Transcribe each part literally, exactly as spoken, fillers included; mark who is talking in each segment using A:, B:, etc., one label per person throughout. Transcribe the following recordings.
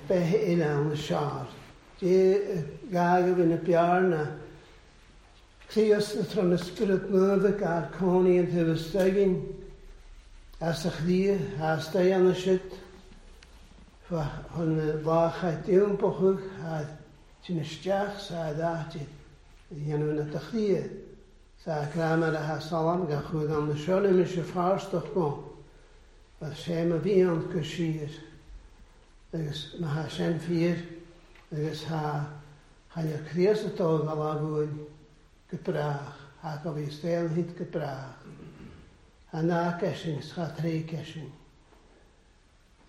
A: Beithe eile ann a seár. Dé gá go na bearna Críost na tron na Spiorad Naomh gar cónaí an taobh istigh as a chlia as daonna siad chun lácha dúnbachadh a sin isteach sa áit dhéanamh na do chlia sa grámar a ha salam ga chuig an na seo mise farstach go a sé ma bhí an go siar agus ma ha sin fíor agus ha ha Críost a tógáil againn go brách ha go bhí stéal hit go brách a ná sin sa trí sin.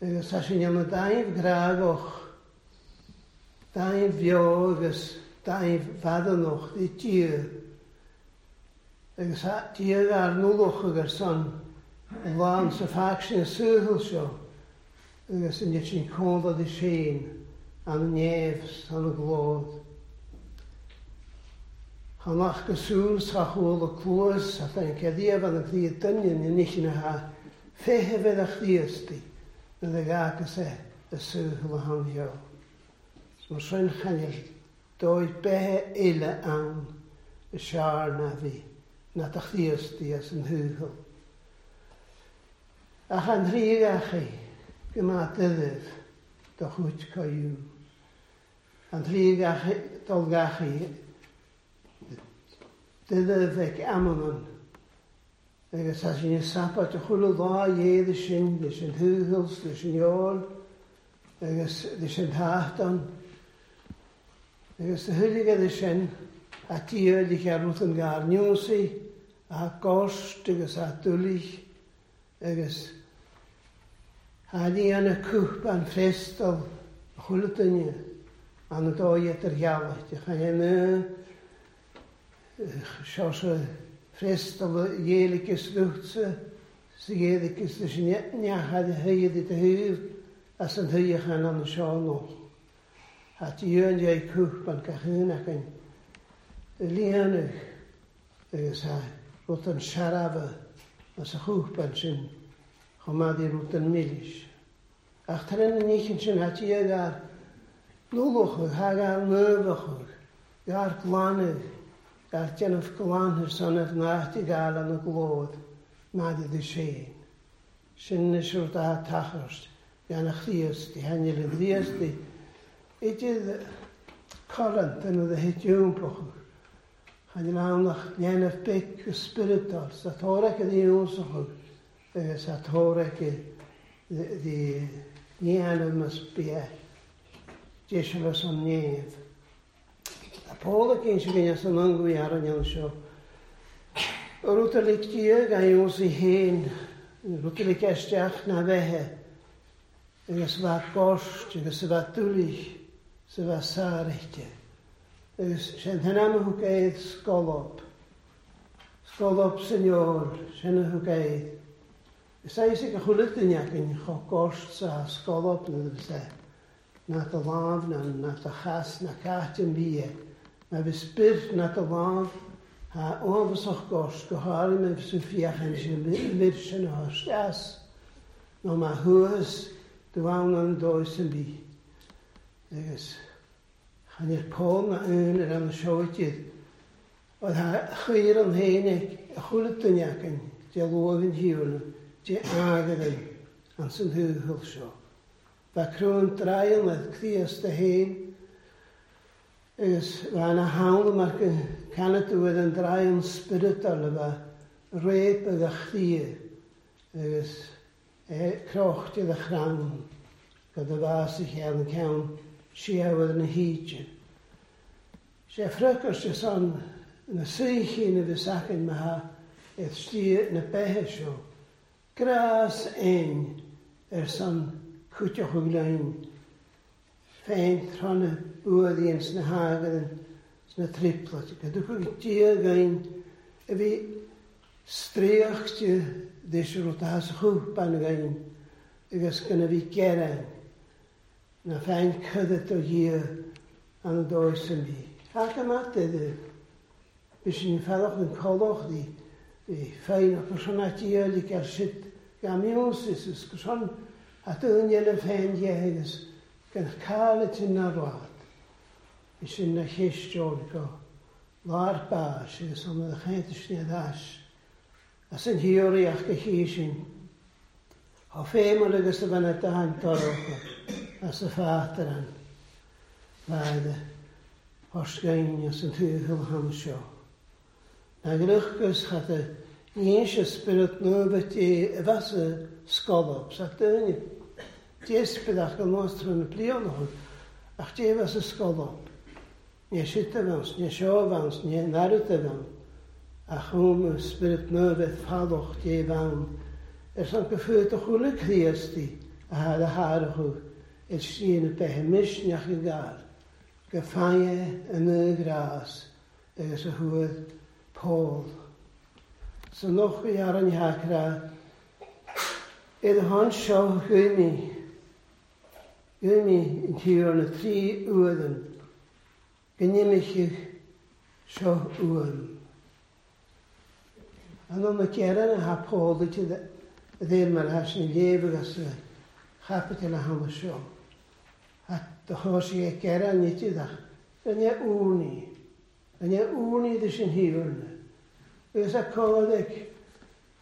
A: Agus tá sin an daimh grágach, daimh bheo agus daimh bhadanoch i tír. Agus tír ar nuloch agus san an lán sa fác sin suhil seo agus an sin cónda de séin an néamh san glód. Chanach gosúil sa chuala cluas a an cedíomh an chlí duine na nísin ha fethe bheith a chríostaí na a gágus é a suhil a hanheo. Mar sin chanil dóid bethe eile ann y siar na bhí na a chríostaí as an thuhil. Ach an thrí go má dylif do chwt coiw. An thrí dol gachi dylif ag amanon. Agus tá sin sapat a chuile lá dhéad sin, leis an thuhils, leis an eol, agus leis an tachtan. Agus a thuilige sin a tíolich ar rút an gar niúsaí, a gost agus a dúlich, agus a ní an a cúp an frestal a chuile duine an a dóigh ar ghealach. Chan é seo sa frestal a dhéilicus luchtsa sa dhéilicus leis an neachad a thuiad i do thuibh as an thuiochan an seo nó. A tíon dé cúp an cachúnach an líanach agus a rud an searabha as a chúp an sin chomh maith i rud an milis. Ach tar an níchin sin ha tí gar lúlachadh, ha gar nöfachadh, gar glanadh, gar déanamh glanthar san ar náit i gáil an glód, maidir de séin. Sin na siúr a tachast, gan a chríost, i hainil an chríost, idir corant yn y hit iwmpach. Chan anach léanamh bec go spioradal, sa tórac a dhéúsachadh agus a tórac de dhéanamh mas bia déisilas an néamh. A Póla cén sé gin as an anguí ar an seo. Rút a lig dia gan iúsaí héin, rút a lig eisteach na bheithe, agus bheith gost agus a bheith dúlich sa bheith sárichte. Agus sin hen am thug éad scolop. Scolop senor, sin a thug éad. Is é a chuile duine againn chomh gost sa scolop na bheith na do lámh na na do chas na cait an bia. Ma bhí spir na do lámh ha óbhasach gost go háirithe ma bhí fiachan sin mir sin a steas nó má thuas do bhain an dóigh san bí. Agus chan ir Pól na aon ar an seoidir ó tha chuir an héine a chuile duine againn de luamh an hiúna de ágadan an san thuhil seo. Bha crún draíon le Críost a héin agus bha na hála mar go canadú an draíon spioradal a bha réip ag a chlia agus é crocht a chrann go do bhás a cheann ceann siabhad na híte. Sé fröcast sé san na suíchin a bhí sacain ma ha ag stír na bethe seo. Grás ein ar san cúteach lein féin tronna uadíon sna hagadan sna triplat. Go dúchadh dia gain a bhí stríochte de rud a has chúpan gain agus gan a bhí gearán na féin cuidat ó dhia an dóigh san bhí. Ach amach de bhí sin feadach an cholach di bhí féin go son a díolik ar sit gan miúnsis is go son a dúin eile féin dhe agus Gan cael y tyn ar wad. Is sin na chéisteoir go lár bás agus an a chaint sin as. As an hiúraíoch go hí sin. Tá féimar agus a bheith dain dorocha as a fátar an bhaide Oscain as an tuathil han seo. Na gruchgus chat a dhéon spirit nuabet é a bheasa scolab sa duine déspedach go nóstra na blianacha ach dé bheasa scolab. Ní sitamans, ní seomhans, ní narratamans, ach um spirit nuabet fadach dé bhan ar san go fuut a chuile Críostaí a ha a hárachu is sína beithe misneach i gar, go faie an grás agus a thuad Paul. Sa noch i ar an hacra, iad han seo gúmi, gúmi in tír na trí uadan, gnímichi seo uan. An an na ceann a ha Paul duit a dhéir mar has na léamh agus a chapital a hama seo. Do chá sé ceann nitidach, rinne úrní, rinne úrní de sin híorna. Agus a códaigh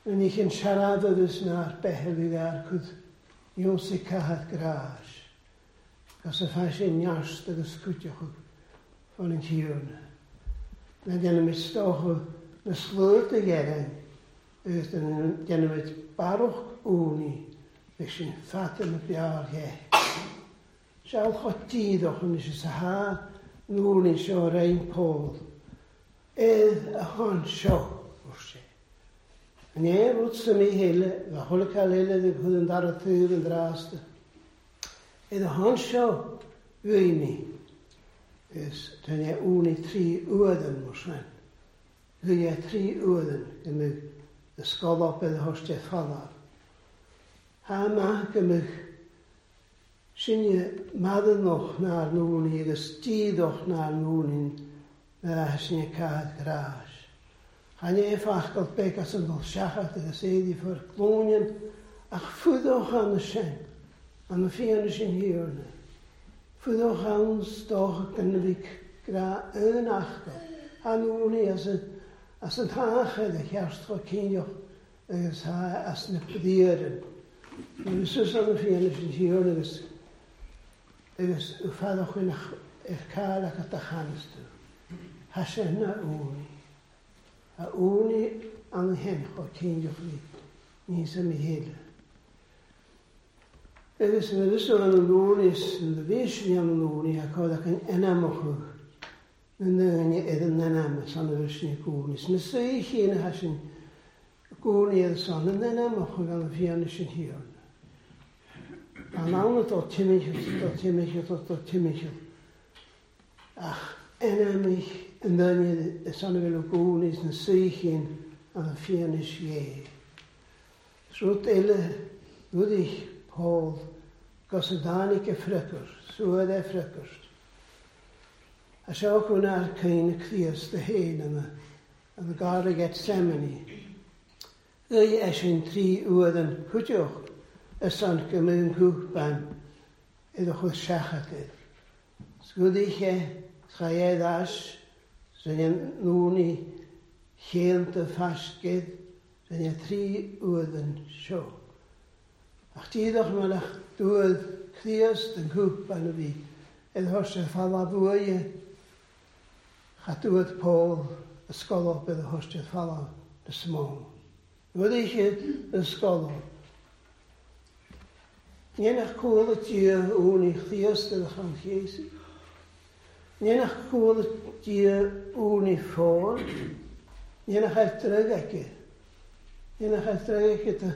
A: rinne chin searad agus nár beithil ar chud Jósa caitheamh grás. Agus a feadh sin neart agus cuiteach fan an tíorna. Na déanfaimid stócha na slúta ghéireann agus déanfaimid barrach úrní bheidh sin fata na beár ghé. Seal chot díadach an is a há núrní seo rein Paul. Éad a han seo, ur sé. An é rud sa mí héile, a chuile eile de chud an dara tuúr an drásta. Éad a han seo uaimí. Is tá é úrní trí uadan mar sin. Bhí é trí uadan go mbeadh na scolab a thuiste fadá. Há maith go mbeadh sinne madanach nár núrní agus díadach nár núrní na sinne caitheamh grás. Chan é fachgal beag as an dul seachat agus éadaí fuair glúinean ach fuadach an sin, an na fianna sin hiúrna. Fuadach an stócha gan bhí grá aon achgal, an úrní as an as an tácha de cheart cíneach agus há as na bdíaran. Bhí sus an na fianna sin hiúrna agus agus fadach ar cáil agat a chanastú. Há sin na úrní. A úrní an hen cho cíneach bhí níos a mí héile. Agus na rusa an úrní na bhí an úrní a códach an enamachu na naine iad an enama san a bhí gúrní. Na saoi chéine há sin gúrní iad san na enamachu gan a fianna sin hiúrna. An anna tá timicheall, tá timicheall, tá timicheall. Ach enamich an naine san a bhfuil gúrní na saoi chéin an fianna sé. Rud eile rudaí Paul gus a dánig a frökkur, suad a frökkur. A seo cún ar caoin Críost a héin an a garda Gethsemane. Í é sin trí uadan chuiteach a san go mún cúban i do chud seachat iad. Scudaí cha é as, rinne núrní chéanta fascéad, rinne trí uadan seo. Ach díadach mar ach dúad Críost an cúpan a bhí, id thuiste falla buaidhe, cha dúad Paul a scolab id thuiste falla na smó. Rudaí siad a scolab. Ní nach cuala Dia úrní Chríost a chan chéisi. Ní nach cuala Dia úrní fór. Ní nach ar drug aici. Ní nach ar drug aici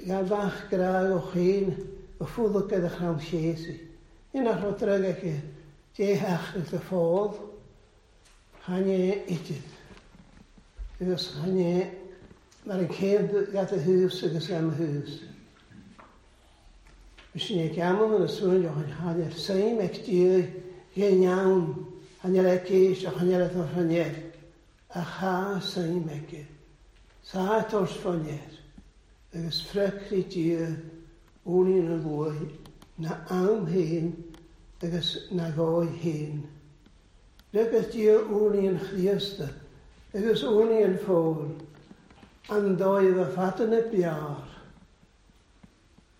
A: gan bhach grá ó chéin a fuadach a chan chéisi. Ní nach raibh drug aici dé theach a fáil chan é itid. Agus chan é mar an chéad gat a hús agus am a hús. Bhí sin ag ceamal na suain an chan ar saim ag Dia ghéin ann chan ar céis a chan ar atá fanéir a chá saim aici. Sa tórs fanéir agus frecrí Dia úrní na luath Na am féin agus na dhóigh féin. Agus Dia úrnaí an Chríosta agus úrnaí an Phóil an dóigh a bheith fata na beár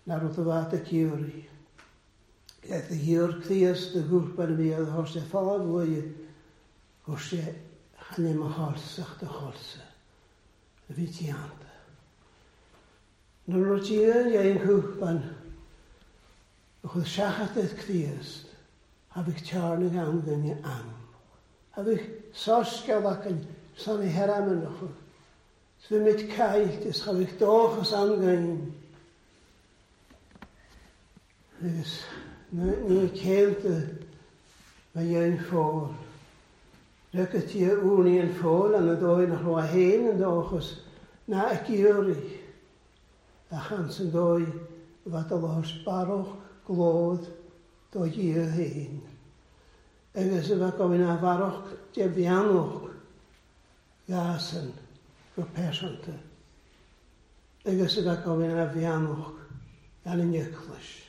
A: na rud a bheith a ciúraí. Ag a ghiúr Críost a ghrúpa a bhí a thóir sé fáil uaidh gur sé chanim a tháilseach do tháilse a bhí teannta. Nuair a Dia dhéan cúpan a chud seachad Críost a bhí tearna gan duine am. A bhí sáscealacan san i heramenach. S bhí mit cailt is cha bhí dóchas an gain. Agus ní céalta a dhéan fóil. Rugad Dia úrnaí an Phóil an na dóigh nach raibh féin an dóchas ná a ciúraí. A chans an dóigh a bheith a láthair sparach glód do Dhia féin. Agus a bheith gabhainn a bharach de bheannach gásan go pearsanta. Agus a bheith gabhainn a bheannach gan an Nioclais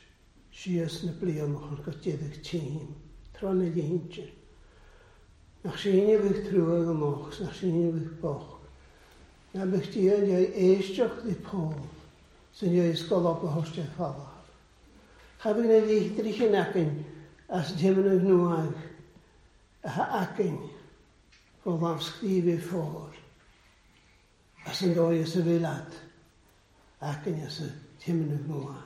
A: síos na blianach go déadach tím tráth na dhéinte. Nach sin a bheith trua go moch, nach sin a bheith bocht. Na bheith Dia dhéi éisteach le Pól san dhéi scoil go hóiste fallach. Cha bheith na líchtríchen acain as timmen nuag a ha acain go lam scríbe fór. As an dóigh is a bhí leat acain as a timmen nuag.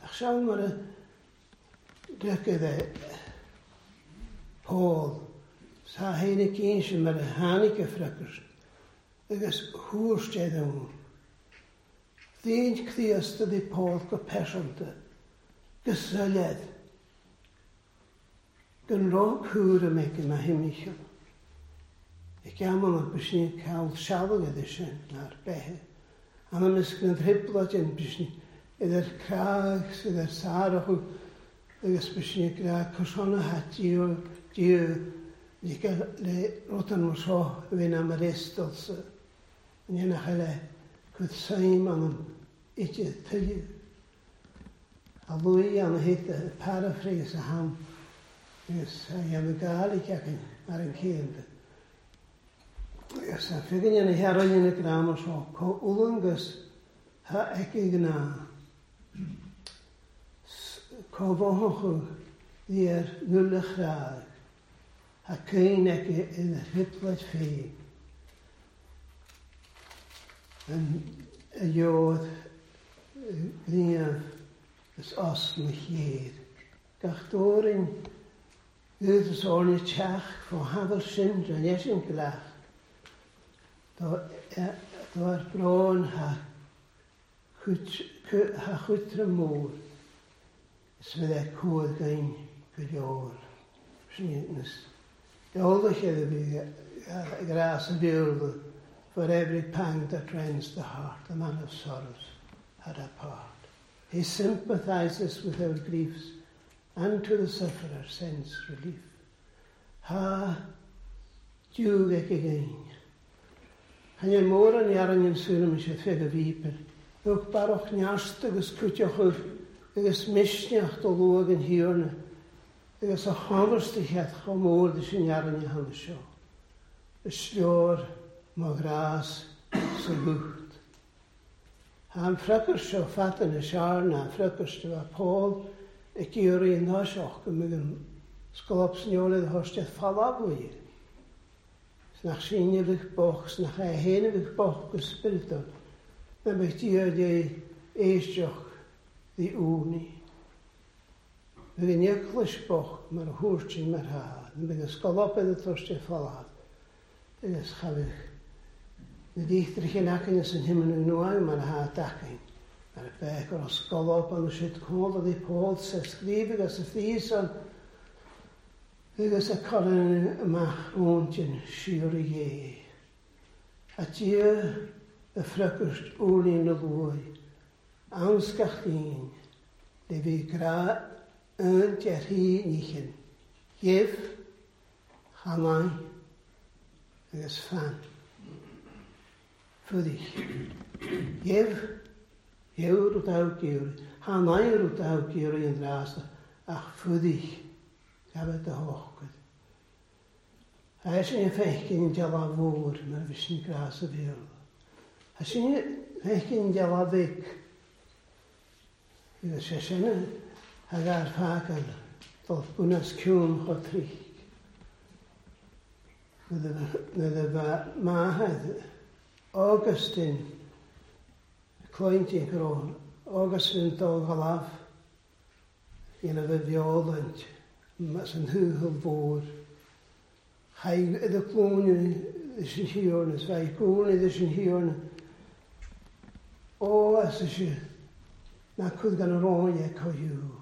A: Ach sean mar a deicead é Pól sa héine cínse mar a tháinig a freagairt agus thuairt sé dom. Dhéin Críost a Pól go pearsanta, go soiléir, gan róchúram ag ma himichel. Ik amanna b'sin ceall sealbh idir sin nár beithe. Anna mis an tripla sin b'sin idir crág idir sárach agus b'sin grá cosana hat dío dío le rotan mar seo a bhí am aréstalsa. An dhéanach eile chud saim anam ite tuilleadh. A luí an hita paraphrase a ham agus a dhéanamh gáilig acainn mar an céanda. Agus a figann na hearraine na gráma seo có ulangus ha aici gná. Có bhóthacha dhéar nulla chrág ha céin aici ina thriplait féin. An a dheod gníomh is os na chéad. Gach dórainn gúd is orna teach fó hafal sin den eisin glach. Do ar brón ha chutra mór is bheith é cuaid gain go leor. Sin is eolach é a bhí grás a bheurla for every pang that rends the heart, the man of sorrows had a part. He sympathizes with our griefs and to the sufferer sends relief. Ha diúg ag again. Hanne mór an dhearann an súlam sé fé a bhíper. Thug barach neart agus cúiteach agus misneach do luag an thiarna agus a chámarsta chead chomh mór de sin dhearann a hana seo. Is leor má ghrás sa lucht. Ha an freagar seo fata na searna an freagar seo a Pól ag iarraidh an náiseach go mbeidh an scolop san eolaí a thóir siad fallabhuí. Nach sin a bheith bocht, nach é féin a bheith bocht go spioradálta, na bheith Dia dé éisteach dí úrnaí. Bheith an Nioclais bocht mar a thuairt sin mar há, na bheith an scolop a thóir siad fallad, agus cha bheith na díchtrachen acainn as an himmen nuaim mar a há tacainn. Mar a bheith ar an scolop an siad cóla dí Pól sa scríobh agus a físan agus a cholann amach óntin siar a dhé. A Dia a freagairt úrnaí na luaith, anscachtín, le bhí grá an dearthaí níchin, Gheibh, chanáin agus fan. Fudaigh. Gheibh, Hewr ut awgiwr, han air ut awgiwr yn dras ach ffwddich gafod y hochgwyd. A sy'n fechgyn dela fwr, mae'r fysyn gras y fyr. A sy'n fechgyn dela fig. Agus sé sin ag ar fágan dul bunas ciún cho tríc. Nuair a bheith maithe Augustin clointín grón Augustin dul galaf ina bheith bheolant mas an thuathal mhór. Chaith idir glúine leis an thiorna, is bheith glúine leis an thiorna. Ó, as sé na cud gan róine cohiú.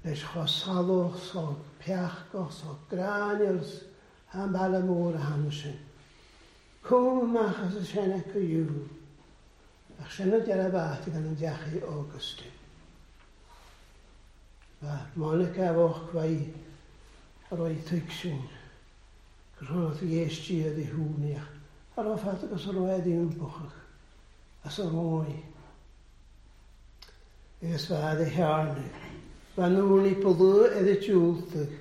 A: Leis cho salwch, so peachgoch, so graniels, han bala mór a hanna sin. Cwm amach as y sin ac yw. Ach sin y dera bat gan yn deachu Augustin. Fa Monica foch gwai a roi thyg sin. Rhwng iesgi ydi hwniach. A roi ffath agos a roi ydi ymbochach. As a roi. Agus fa ydi harni. Fa nhw'n i bwlw ydi jwltych.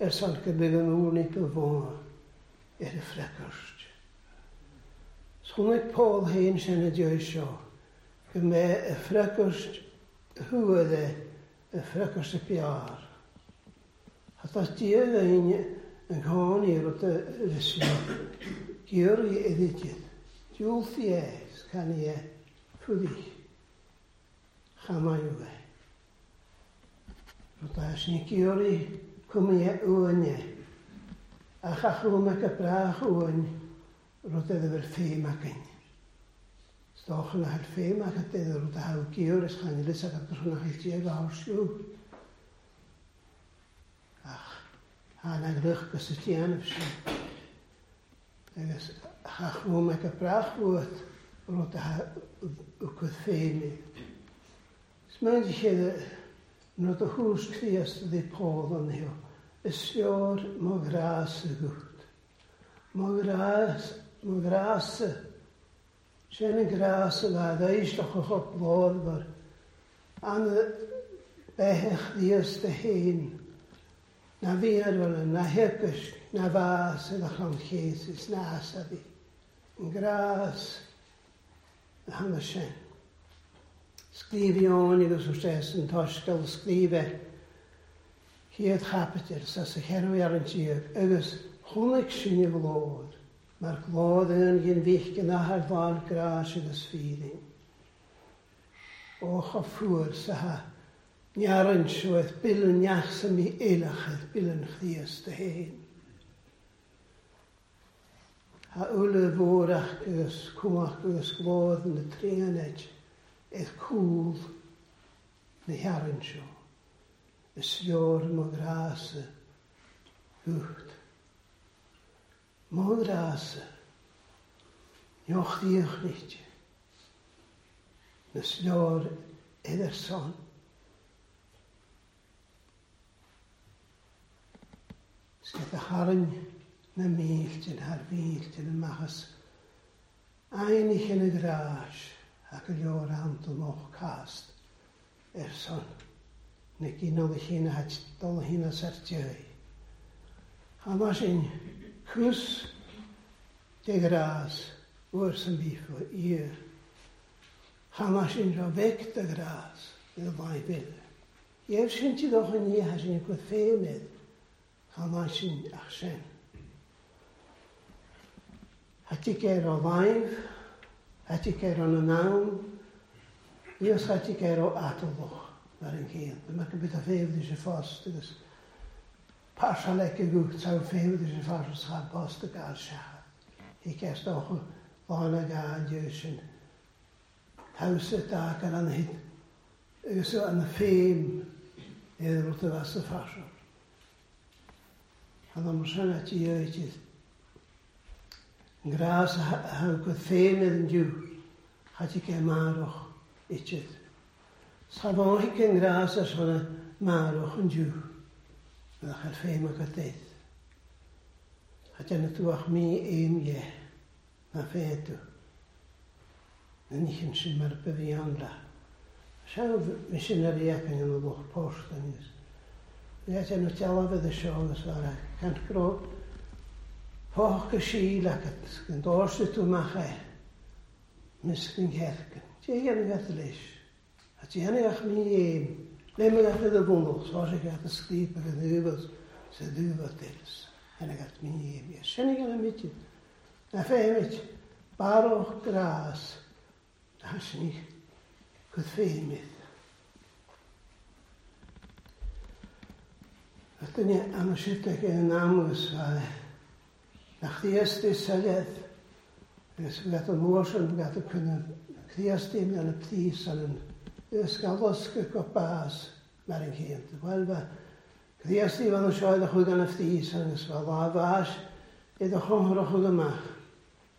A: Ers an gymryd yn nhw'n i bwlw er y ffregwrst. Sgwnig Paul hein sy'n y diwy sio. Gymryd y ffregwrst hwyd e, y ffregwrst y biar. A das diag ein yn nghôn i rwyd y rysio. Gyr i eddydydd. Diwlth i e, can i e, ffwddi. Chamau yw e. Rwyd a sy'n gyr i cwmni e wyn e. A chachwm ac y brach wyn rwyd e ddyfyr ffeim ac yn. Stoch yn a'r ffeim ac ydydd rwyd a haw gyr ys chan i ac ydych yn a'r diag awrsliw. Ach, han ag gys y dianaf sy'n. Agus chachwm ac y brach wyd rwyd a wcwydd ffeim i. Sma'n di lle rwyd y hwrs Christ ydi Paul yn hyo. Yslior mo gras y gwrdd. Mo gras, mo gras y. Sy'n y gras y fa, ddeisloch o'ch o blod fawr. An behech ddias dy hen. Na fi ar fel na hegys, na fas y ddechrau'n llesus, na asad i. Yn gras y hanes sy'n. Sgrifion i ddys yn tosgal sgrife. Hyd chapitel, sas y herwy ar yn tiag, agus chwnig sy'n i flod. Mae'r glod yn gyn fich yn ahar lân gras i ddys ffyddin. Och o ffwr sa ha, niaran siwedd bil yn iach sy'n mi eilachedd bil yn chdias dy hen. Ha ule fwrach agus cwmach agus glod yn y trianed, eith cwl na hiaran sio. Yslior mo gras y gwrdd. Mo gras y nioch ddiwch nid. Yslior edr son. Sgeth y haran na milltyn har milltyn y machas. Ein ich yn y gras ac y lior antl moch cast er son. Nag un o'r hyn a hat dol hyn a sertiau. A sy'n cws de gras wrs yn bifo i'r. Chama sy'n rofec de gras i'r ddau fydd. I'r sy'n ti ddod yn i ha sy'n gwrth ffeimydd. Chama sy'n achsen. Hati ger o laif, hati ger o'n anawn, ios hati ger o adolwch. Mar yn cyn. Dyma gybyd a ffeifd eisiau ffost. Agus parsial ec y gwch taw ffeifd eisiau ffost cha bost y gael siarad. I gest o'ch lân ag a diwysyn. Haws y da gan an hyd. Agus an ffeim i'r wrth y fas y ffarsiol. A ddam sy'n at i oedydd. Yn gras a hawgwyd ffeim iddyn diw. Chati ge marwch itydd. Safon yn gras ar sôn marwch yn diw. Byddwch ar ffeim ag ydydd. A dyna dwach mi eim ie. Na ffeidw. Yn eich yn sy'n mae'r byddion la. Sean missionary yn y lwch post yn ys. Ia yn y telaf y seo agus ar cant gro poch go síl agat gan dórsa tú amach é. Miskin kerken. Dé an gach leis. A dé ach mí éim. Le me gach le bhúnach, sá sé gach a scríp agus dúbas sa dúba dils. Hena gach mí éim. Ja sinna gan a miti. Na féimid baroch grás. Na sinni go féimid. A duine anna sitach yn amlwys nach ddiasti syledd agus bheith an mór sin bheith y cynna ddiasti mewn y plís an yn ysgalosg go bas mar yn cyn. Wel fe ddiasti fan y sioed a chwyd an y plís agus fe dda fas iddo chwmhr o chwyd ymach.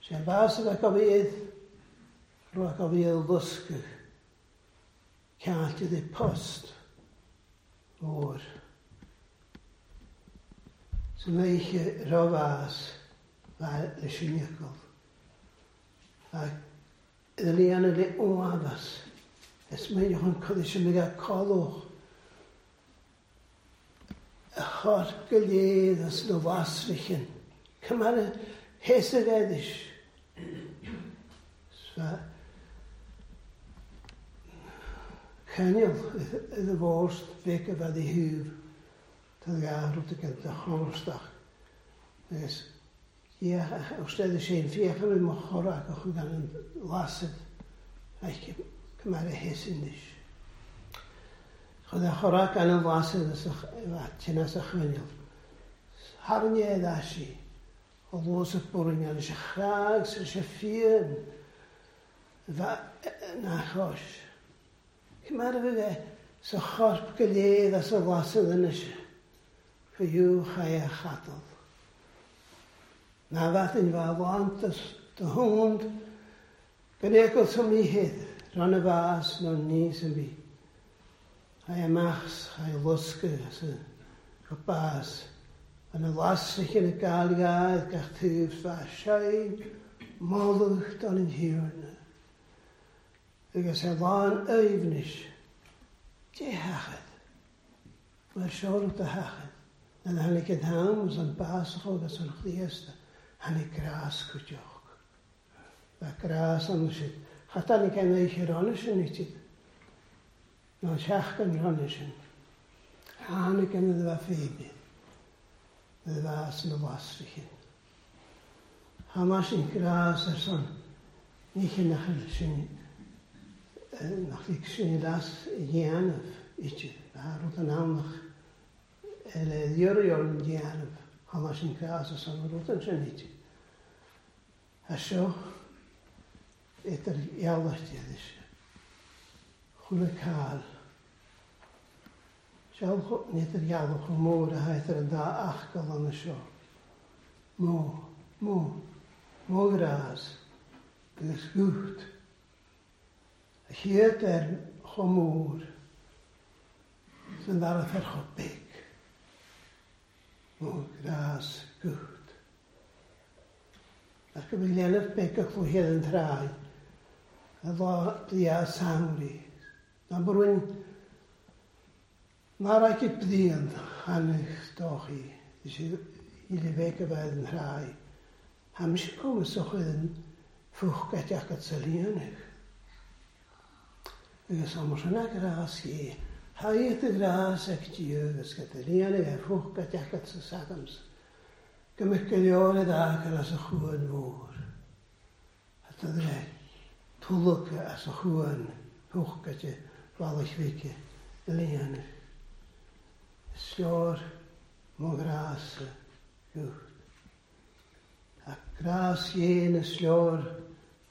A: Sy'n bas yna gofydd rwa gofydd lusg ceallt iddi post mor. So meiche rofas va le sinjakol. Va liana le oavas. Es mei hon kodis mega kaloch. A chor geleed as no wasrichen. Kamare hesegedish. Sva Kaniel de worst veke va die huur. Dat gaat op de kant de chorstach. Dus ja, stelde sin fiachar mo chorach a chug an lasad. Eich cymar a hesindis. Chod a chorach an an lasad as a tinas a chwynil. Harnia edasi. O los y bwryn an eisiau chrag sy'n eisiau ffion. Fa na chos. Cymar a fe sa chorp gyledd as y lasad yn eisiau. Fyw chai a chadol. Na fath yn fa lant dy hwnd gan eagl som i hyd, ran y fas no ni sy'n fi. Chai amachs, chai lusg as y bas. Yn y lasach yn y gael gael gach tŵf fa siain, molwch don yn hirna. Agus e lán oifnis, dé hachad. Mae'r siwr dy hachad. Na tháinig an ham an básach agus an chliasta, tháinig grás cuideoch. Bha grás an siad. Cha tháinig an oíche ranna sin iad. Ná seachtain ranna sin. Tháinig an bha féimid. Na bhás na lasrichin. Tha mar sin grás ar son. Ní chin nach sin nach lig sin las dhéanamh iad. Bha rud an am nach le dhéanamh dhéanamh tha sin grás ar son rud an sin iad. A seo idir ealach iad. Chula cael. Seal nid yr ialwch o môr a haith ar yn dda achgal an y seo. Mo, mo, mo gras, agus gwt. A chiad er cho môr, sy'n ddara ferch o big. Mo gras gwt. Ac y bydd big a chlwyedd yn trai, a ddo blia sangri. Na brwyn Mar ag i blian hannych dochi, i le bheith a bheith yn rhai. Ha mis cwm ys o'ch yn ffwch gatiach at salianach. Agus am sin ag rás i, ha iad y gras ag diw agus gadalianach a ffwch gatiach at sa sadams. Gymych gylio'r ag as y chwan fawr. A dydre twlwg as y chwan ffwch gatiach walach fice y lianach. Slor mo gras gwt. A gras ien y slor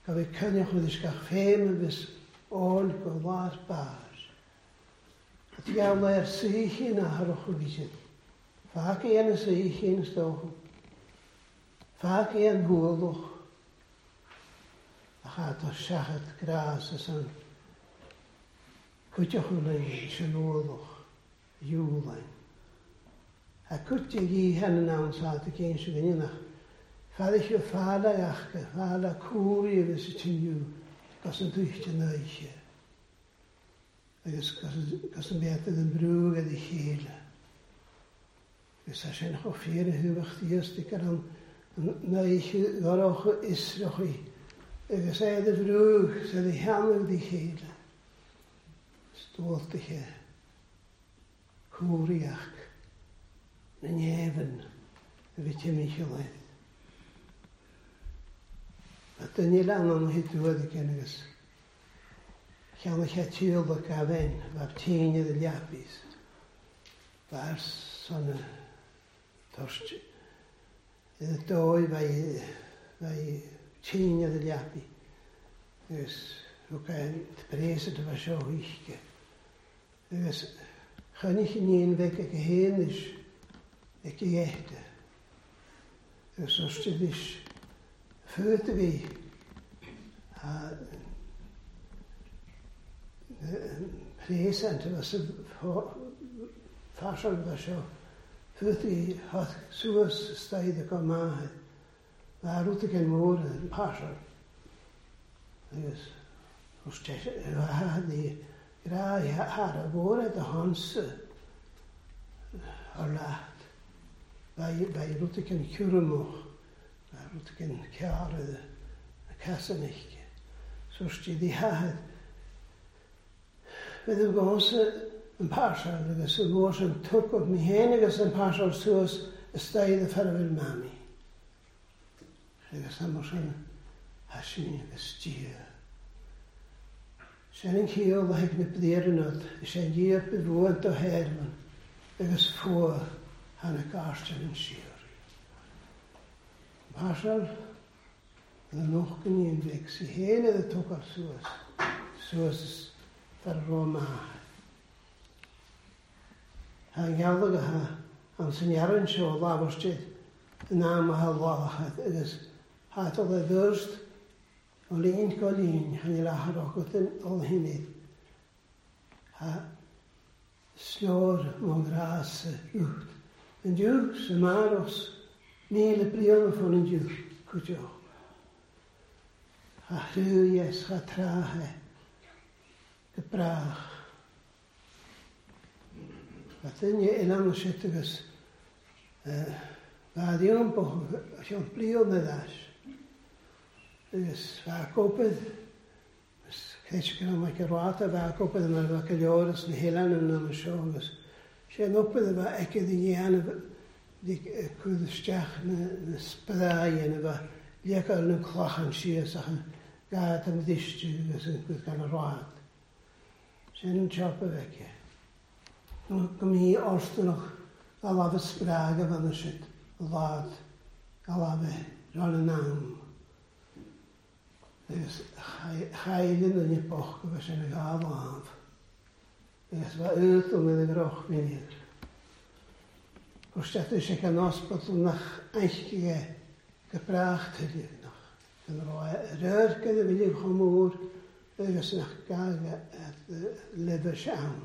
A: gaf i cynnych wrth ysgach ffem y fys ôn go las bars. A diawl er sychin a harwch o gysydd. Fag i yn y sychin stoch. Fag i yn hwylwch. A chad o siachad gras y san. Cwtiwch yn ein sy'n hwylwch. Júlain. A cwt i gi hen yn awn sa dy gyn sy'n gynnynnach. Fadich yw fala achga, fala cwri y fys y tynw, gos yn dwycht yn oeche. Agus gus an bheith an brú a chéile. Agus tá sin chomh fíor-thábhachtach ar an naoich gorocha isrochaí. Agus é de bhrú sa de cheannaigh de chéile. Stóltaithe cúraíoch na neamhan a bhí timpeall. A duine lean an hitúad again agus cheanna cheitiúla a bhain bheith tíine de leapís. Bhar sanna toist i dóigh bheith bheith tíine de leapí. Agus thug an présa de bheith seo uisce. Agus choinnich an níon bheith ag a héanis ag a dhéite. Agus oistidis fút a bhí a present was farsan var seo fút i hat suas staide go maith. Var út ekki mór parsar. Agus hafði grei hara voru þetta hans har lagt. Vai út ekki kjurumók. Var út ekki kjarið kassan ekki. Så stið i hafði við þú góðs en parsar agus a mór sem tók upp mig hen agus en parsar suas stæði fara vel mami. Agus það mór sem hasin agus stíð. Sen en kjóla hegni bdýrnöð, sen jöpi vönd og herman, agus fó hann er garstin en síður. Parsar, það nokkurn í en vex, í hene það tók af suas, suas fara Roma. Han gælaga ha an sin jaran seo lábharstid in am a láchad agus hát a dúrst ó lín go lín han i láthar agat in ó hinid. Ha slór mo grása út. En djú sem aros níle bríona fón en djú cuideo. Ha hrújes ha tráhe go brách. A duine in am sit agus bheith iompach a sean bliana leis. Agus bheith cópad, céis go raibh mé ráta bheith cópad mar bheith go leor as na héileann an am seo agus sé an obair a bheith aici de dhéanamh cuid isteach na spráin a bheith leacail na chlachan síos ach an gá am diste agus an cuid gan a rád. Sin an teop a bheith aici. Go mí orstanach a lámh spreagadh bheith siad lád a lámh rá an am. Agus chailin an epoch go bheith sin a dhá lámh. Agus bheith útal ina groch mínir. Chuir sé an ospidéal nach aisce go brách tuilleamh nach. Gan raibh röirce a bhí chomh mór agus nach gaga leibh sean.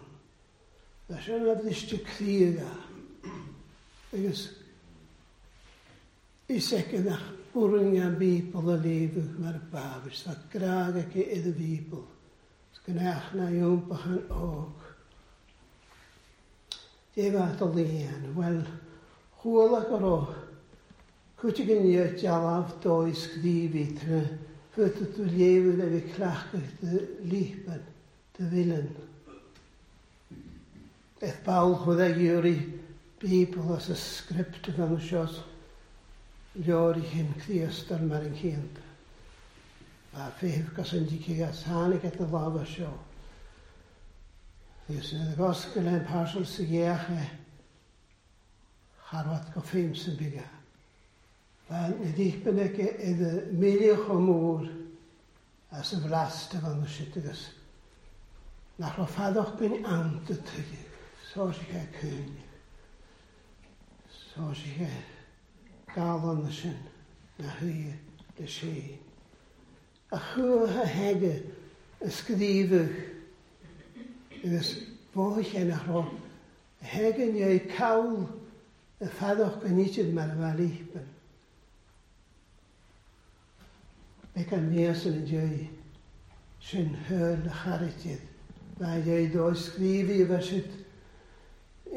A: Bheith sin a bhí críoga. Agus is eice nach buring an bíbel a léamh mar bábir, tá grág aici i do bíbel. Is go neach na iompach an óg. Dé bheith a líon, well, chuala go raibh cuid againn iad dealbh dóigh scríobhaí tré futa tú léamh le bhí cleachtadh de lípan, de villain. Eth ball chuid ag iarraidh bíbel as a script a bheith seo leor i hyn Críostar mar an chéanta. Ba féith gus an dicigh as tháinig at na lámha seo. Agus na goscail an parcel sa ghéach é charvat go féim san biga. Ba na dípan aici i do míle chomh mór as a bhlasta bheith siad agus nach raibh fadach bin am de tuilleadh. Sá sé cúinne. Sá sé gálan sin na thuí le sé. A chuath a heige a scríobhadh agus bhóich nach raibh a heige ní caul a fadach go nítead mar a bheith lípan. Beidh an níos an dhéidh sin thuir le charitiad Wij do skrivi verset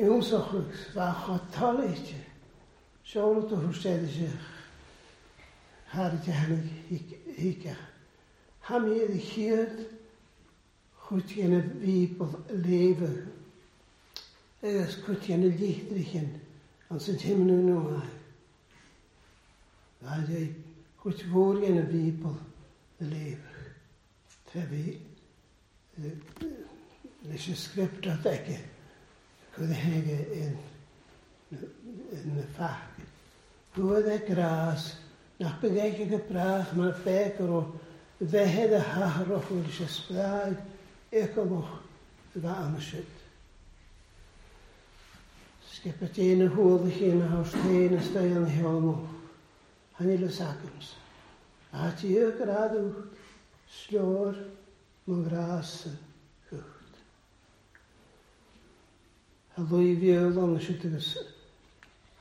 A: Jonsachus var Sjálvt og hurstæði sig hann hika. Ham er hirt goed jene Bibel leven. Er is goed jene lichtrichen aan zijn hemel nu. Wij goed voor jene Bibel leven. Terwijl leis script dat ikke kunne henge in in fach. Hoe de gras nach begeike gebracht maar feker og vehede har og leis spraag ekoloch va amshit. Skepet ene hovedkine har stene stein helmo. Han ile sakums. At je gradu slår mon gras hugt. Hallo violan skyttes.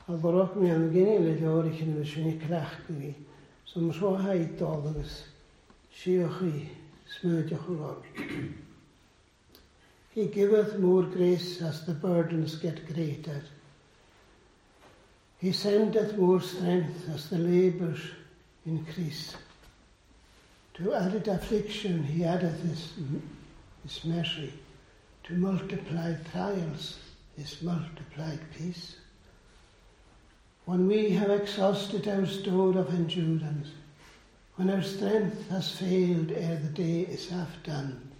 A: Hallo mi an genile jorikene med sine klachki som så heit alles sjöchi smödja. He giveth more grace as the burdens get greater. He sendeth more strength as the labours increase. To added affliction he addeth his, his mercy. To multiplied trials his multiplied peace. When we have exhausted our store of endurance, when our strength has failed ere the day is half done,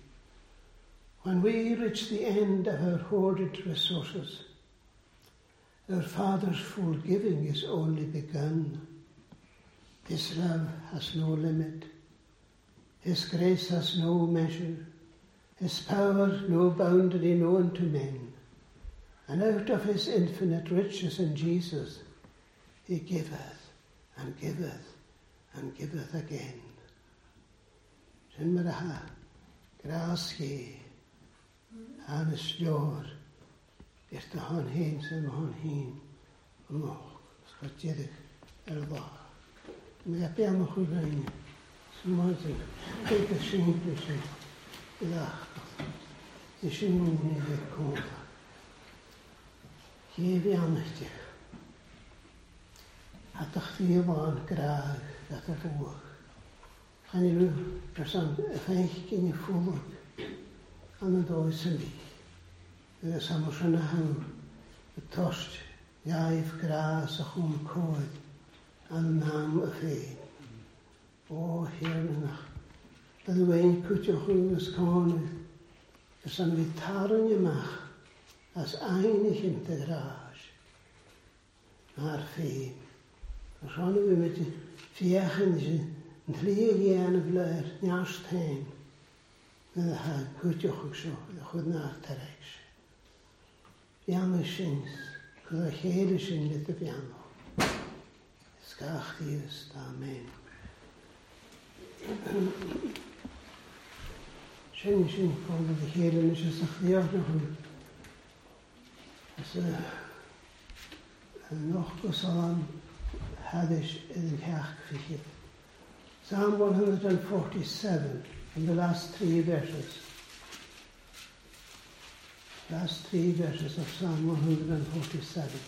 A: when we reach the end of our hoarded resources, our Father's full giving is only begun. His love has no limit. His grace has no measure. His power no boundary known to men. And out of his infinite riches in Jesus, he giveth and giveth and giveth again. Sin mar a grasgi han slår efter han hin sem han hin och ska ge er va. Men jag ber mig själv som har sig det simpelt sig ja. Det synd ni det kom. Ge vi annat. Att det var en grag att det var. Han är ju person fänken i full. Han är då i sin Det er samme skjønne han torst, jaif gras og hon kåd, han nam og fein. Og herrena, det var ein kutt og hunes kone, det som vi tar en mach, as einigen til gras, mar fein. Og sånn vi med fjæren, en tlige blær, njarstein, det har kutt og hus og hudna tereks. Janne syns, hva hele sin lite piano. Skach just, amen. Sin sin kom det hele nu så sagt jag nog. Alltså nog så hade en herk. Psalm one forty-seven and the last three verses. Last three verses of Psalm one forty-seven.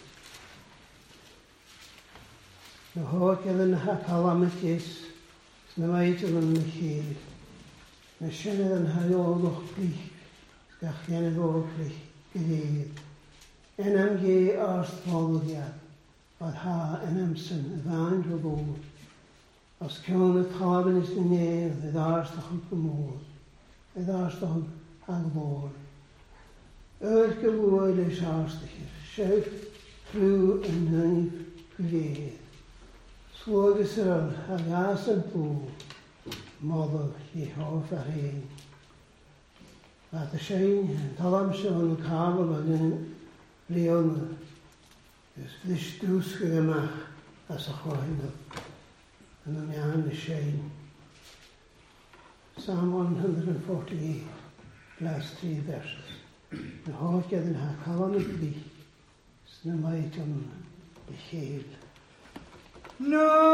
A: Na hóceann ha calamit sna maidir na chéad. Na sinna an haolach plí, gach dhéanamh óclí go léad. In am gé arstfálagead, ad ha in am sin a bhain go bór. As ceann na tábhain is na néamh i d'arstach go mór, i d'arstach ag bór. Eur go bhfuil leis arstachir, seo trú an naomh go léad. Slógus ar a gas an bú, moladh Jehovah féin. Wat a sein, talam seo an cábal an bliana, is bhris dúsca amach as a chóine an an meán na sein. Psalm one forty-eight, last three verses. Na hácead an ha calan an blí, sna maitan de chéad.
B: No.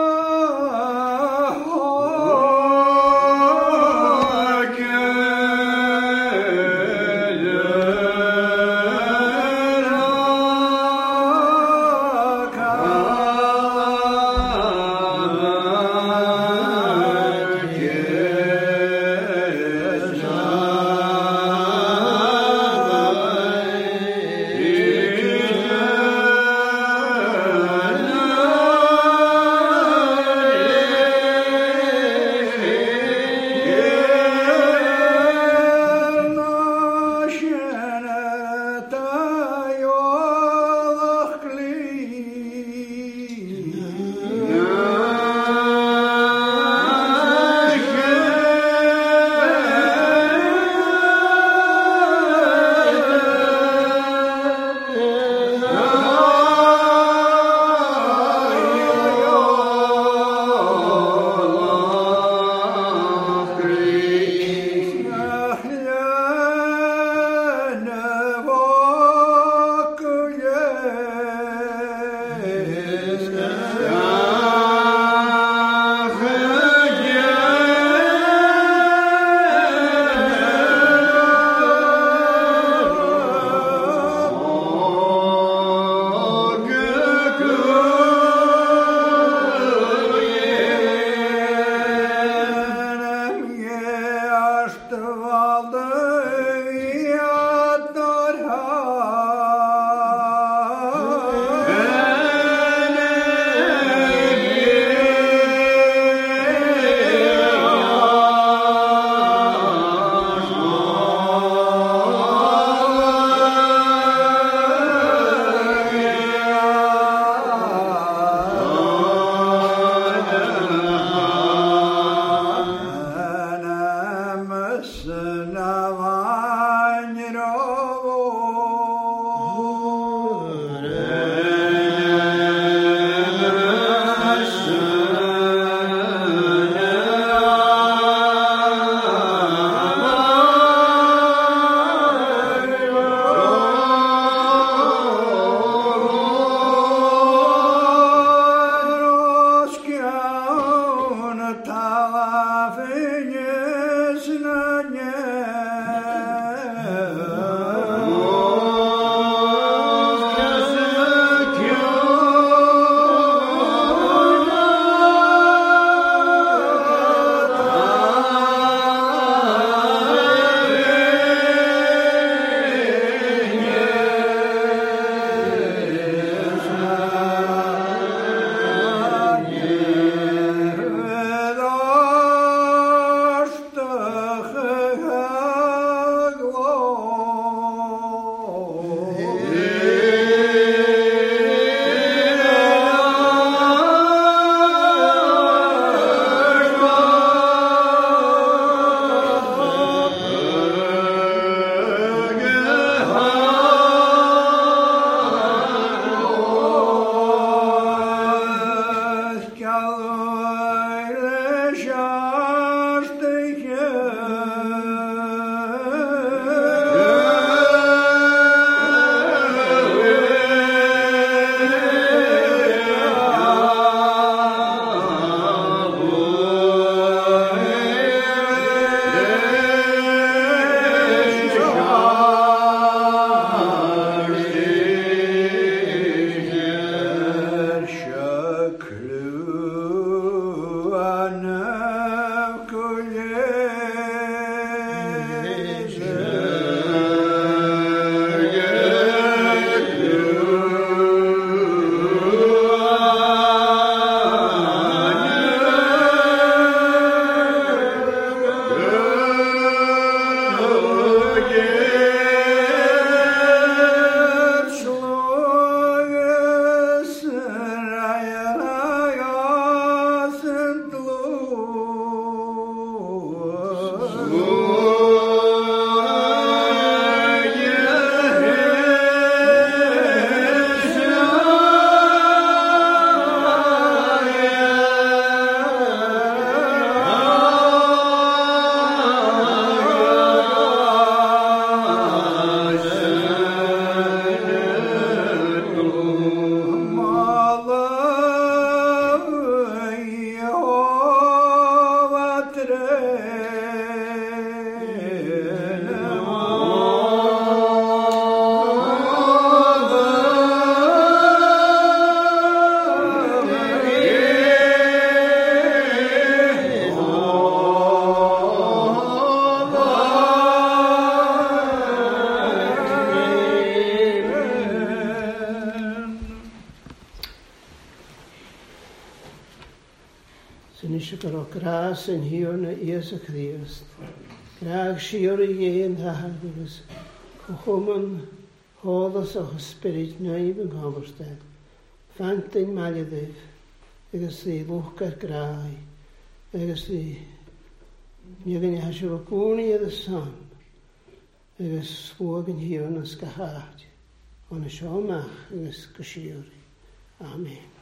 A: Sin is go raibh grás an Thiarna Íosa Críost. Grá síoraí Dé an tAthair agus comhchumann shólasach an Spioraid Naoimh an Chomharsta. Fantain maille daoibh agus í lúcháir grá agus í Nígan ha sibh gcónaí agus sam agus slua an Thiarna gach áit. Óna seo amach agus go síoraí. Amen.